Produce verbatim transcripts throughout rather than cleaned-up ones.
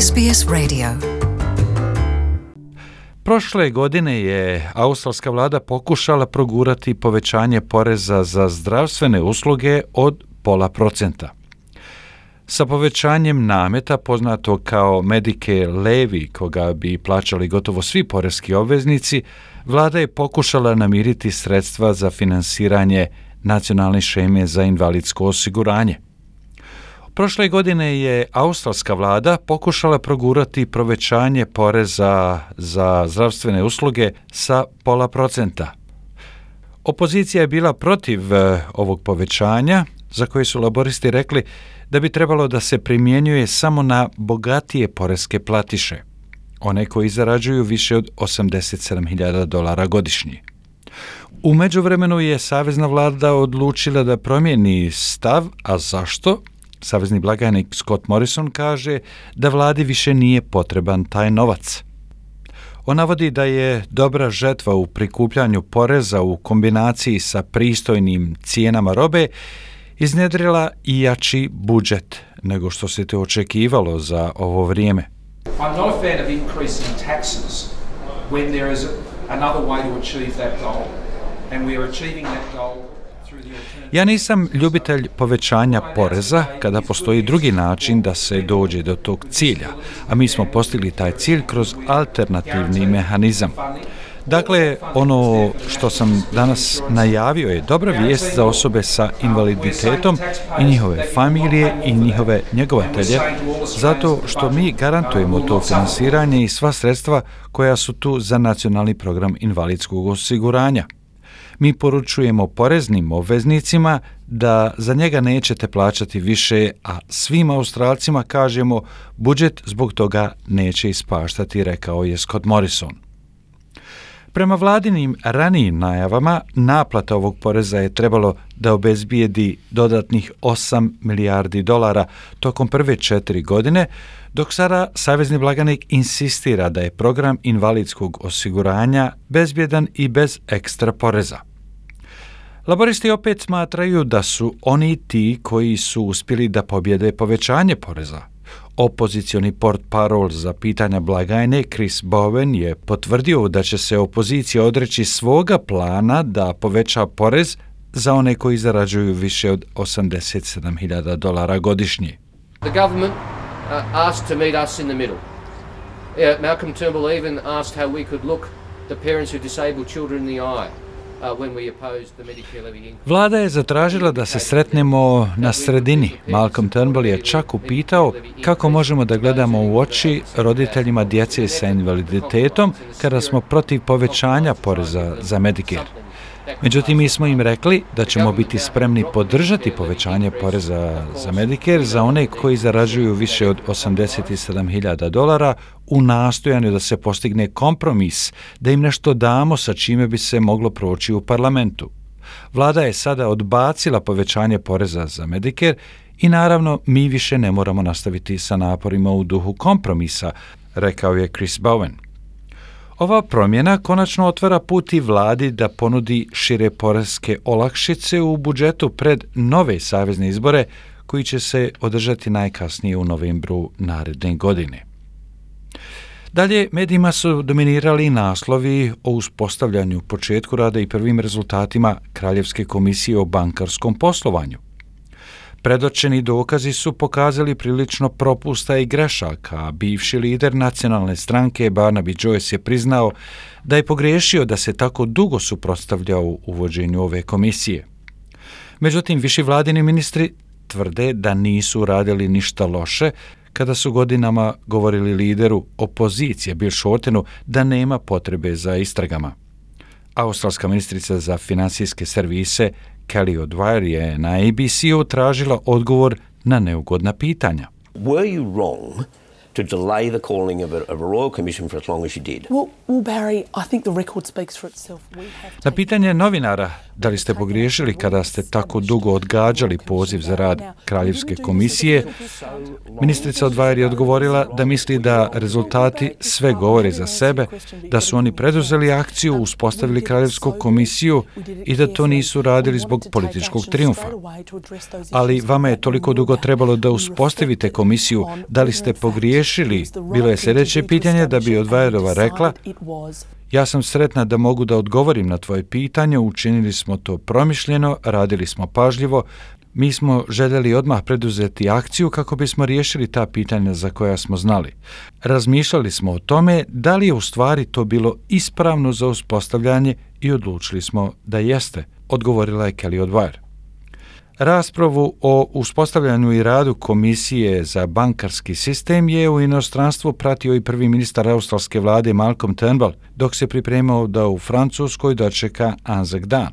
S B S Radio. Prošle godine je australska vlada pokušala progurati povećanje poreza za zdravstvene usluge od pola procenta. Sa povećanjem nameta poznatog kao Medicare levy, koga bi plaćali gotovo svi poreski obveznici, vlada je pokušala namiriti sredstva za finansiranje nacionalne šeme za invalidsko osiguranje. Prošle godine je australska vlada pokušala progurati povećanje poreza za zdravstvene usluge sa pola procenta. Opozicija je bila protiv ovog povećanja, za koje su laboristi rekli da bi trebalo da se primjenjuje samo na bogatije poreske platiše, one koji zarađuju više od osamdeset sedam hiljada dolara godišnje. U međuvremenu je savezna vlada odlučila da promijeni stav, a zašto? Savezni blagajnik Scott Morrison kaže da vladi više nije potreban taj novac. On navodi da je dobra žetva u prikupljanju poreza u kombinaciji sa pristojnim cijenama robe iznjedrila i jači budžet nego što se to očekivalo za ovo vrijeme. I'm not a fan of increasing taxes when there is another way to achieve that goal. And we are achieving that goal through the alternative. Ja nisam ljubitelj povećanja poreza kada postoji drugi način da se dođe do tog cilja, a mi smo postigli taj cilj kroz alternativni mehanizam. Dakle, ono što sam danas najavio je dobra vijest za osobe sa invaliditetom i njihove familije i njihove njegovatelje, zato što mi garantujemo to finansiranje i sva sredstva koja su tu za nacionalni program invalidskog osiguranja. Mi poručujemo poreznim obveznicima da za njega nećete plaćati više, a svim Australcima kažemo budžet zbog toga neće ispaštati, rekao je Scott Morrison. Prema vladinim ranijim najavama, naplata ovog poreza je trebalo da obezbijedi dodatnih osam milijardi dolara tokom prve četiri godine, dok sada savezni blagajnik insistira da je program invalidskog osiguranja bezbjedan i bez ekstra poreza. Laboristi opet smatraju da su oni ti koji su uspjeli da pobjede povećanje poreza. Opozicioni portparol za pitanja blagajne Chris Bowen je potvrdio da će se opozicija odreći svoga plana da poveća porez za one koji zarađuju više od osamdeset sedam hiljada dolara godišnje. The government uh, asked to meet us in the middle. Uh, Malcolm Turnbull even asked how we could look the parents who disable children in the eye. Vlada je zatražila da se sretnemo na sredini. Malcolm Turnbull je čak upitao kako možemo da gledamo u oči roditeljima djece sa invaliditetom kada smo protiv povećanja poreza za Medicare. Međutim, mi smo im rekli da ćemo biti spremni podržati povećanje poreza za Medicare za one koji zarađuju više od osamdeset sedam hiljada dolara u nastojanju da se postigne kompromis, da im nešto damo sa čime bi se moglo proći u parlamentu. Vlada je sada odbacila povećanje poreza za Medicare i naravno mi više ne moramo nastaviti sa naporima u duhu kompromisa, rekao je Chris Bowen. Ova promjena konačno otvara put i vladi da ponudi šire poreske olakšice u budžetu pred nove savezne izbore koji će se održati najkasnije u novembru naredne godine. Dalje, medijima su dominirali naslovi o uspostavljanju, početku rada i prvim rezultatima Kraljevske komisije o bankarskom poslovanju. Predočeni dokazi su pokazali prilično propusta i grešaka, a bivši lider nacionalne stranke Barnaby Joyce je priznao da je pogriješio da se tako dugo suprotstavljao uvođenju ove komisije. Međutim, viši vladini ministri tvrde da nisu radili ništa loše kada su godinama govorili lideru opozicije Bill Shortenu da nema potrebe za istragama. Australska ministrica za financijske servise Kelly O'Dwyer je na A B C-u tražila odgovor na neugodna pitanja. Were you wrong to delay the calling of a, of a royal commission for as long as you did? Well, well, Barry, I think the record speaks for itself. We have Na pitanje novinara da li ste pogriješili kada ste tako dugo odgađali poziv za rad Kraljevske komisije, ministrica O'Dwyer je odgovorila da misli da rezultati sve govore za sebe, da su oni preduzeli akciju, uspostavili Kraljevsku komisiju i da to nisu radili zbog političkog trijumfa. Ali vama je toliko dugo trebalo da uspostavite komisiju, da li ste pogriješili riješili, bilo je sljedeće pitanje da bi Woodwardova rekla: ja sam sretna da mogu da odgovorim na tvoje pitanje, učinili smo to promišljeno, radili smo pažljivo, mi smo željeli odmah preduzeti akciju kako bismo riješili ta pitanja za koja smo znali. Razmišljali smo o tome da li je u stvari to bilo ispravno za uspostavljanje i odlučili smo da jeste, odgovorila je Kelly Woodward. Raspravu o uspostavljanju i radu Komisije za bankarski sistem je u inostranstvu pratio i prvi ministar australske vlade Malcolm Turnbull, dok se pripremao da u Francuskoj dočeka Anzac dan.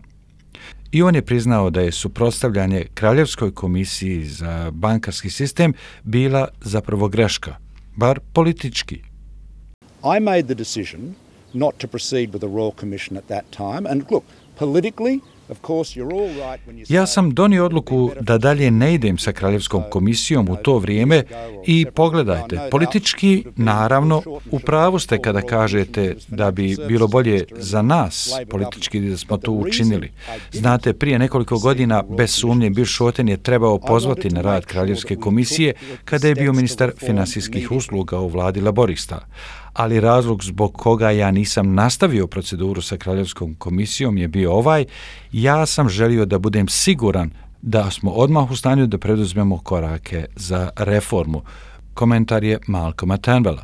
I on je priznao da je suprotstavljanje Kraljevskoj komisiji za bankarski sistem bila zapravo greška, bar politički. I made the decision not to proceed with the Royal Commission at that time, and look, politically, ja sam donio odluku da dalje ne idem sa Kraljevskom komisijom u to vrijeme i pogledajte, politički, naravno, u pravu ste kada kažete da bi bilo bolje za nas politički da smo to učinili. Znate, prije nekoliko godina, bez sumnje, Bill Shorten je trebao pozvati na rad Kraljevske komisije kada je bio ministar finansijskih usluga u vladi laborista. Ali razlog zbog koga ja nisam nastavio proceduru sa Kraljevskom komisijom je bio ovaj: ja sam želio da budem siguran da smo odmah u stanju da preduzmemo korake za reformu. Komentar je Malcolma Turnbulla.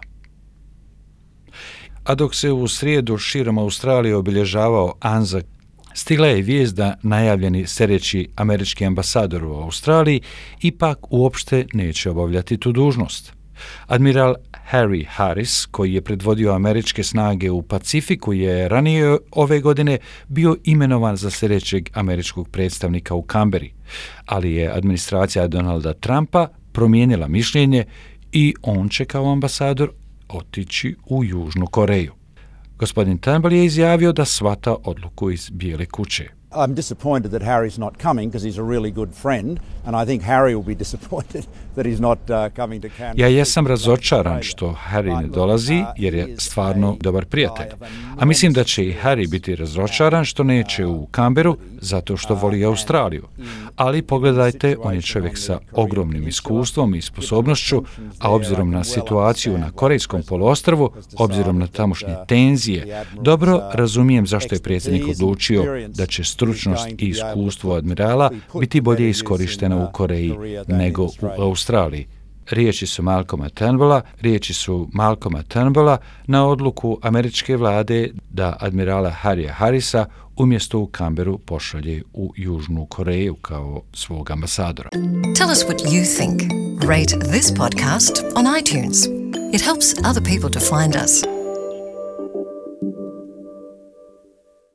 A dok se u srijedu širom Australije obilježavao Anzac, stigla je vijest da najavljeni sljedeći američki ambasador u Australiji ipak uopšte neće obavljati tu dužnost. Admiral Harry Harris, koji je predvodio američke snage u Pacifiku, je ranije ove godine bio imenovan za sljedećeg američkog predstavnika u Kamberi, ali je administracija Donalda Trumpa promijenila mišljenje i on će kao ambasador otići u Južnu Koreju. Gospodin Turnbull je izjavio da shvata odluku iz Bijele kuće. I'm disappointed that Harry's not coming because he's a really good friend, and I think Harry will be disappointed that he's not uh, coming to Canberra. Ja jesam razočaran što Harry ne dolazi jer je stvarno dobar prijatelj. A mislim da će i Harry biti razočaran što neće u Canberru zato što voli Australiju. Ali pogledajte, on je čovjek sa ogromnim iskustvom i sposobnošću, a obzirom na situaciju na Korejskom poluostrvu, obzirom na tamošnje tenzije, dobro razumijem zašto je predsjednik odlučio da će stručnost i iskustvo admirala biti bolje iskorištena u Koreji nego u Australiji. Riječi su Malcolma Turnbulla, riječi su Malcolma Turnbulla na odluku američke vlade da admirala Harrya Harrisa umjesto u Canberru pošalje u Južnu Koreju kao svog ambasadora. Tell us what you think. Rate this podcast on iTunes. It helps other people to find us.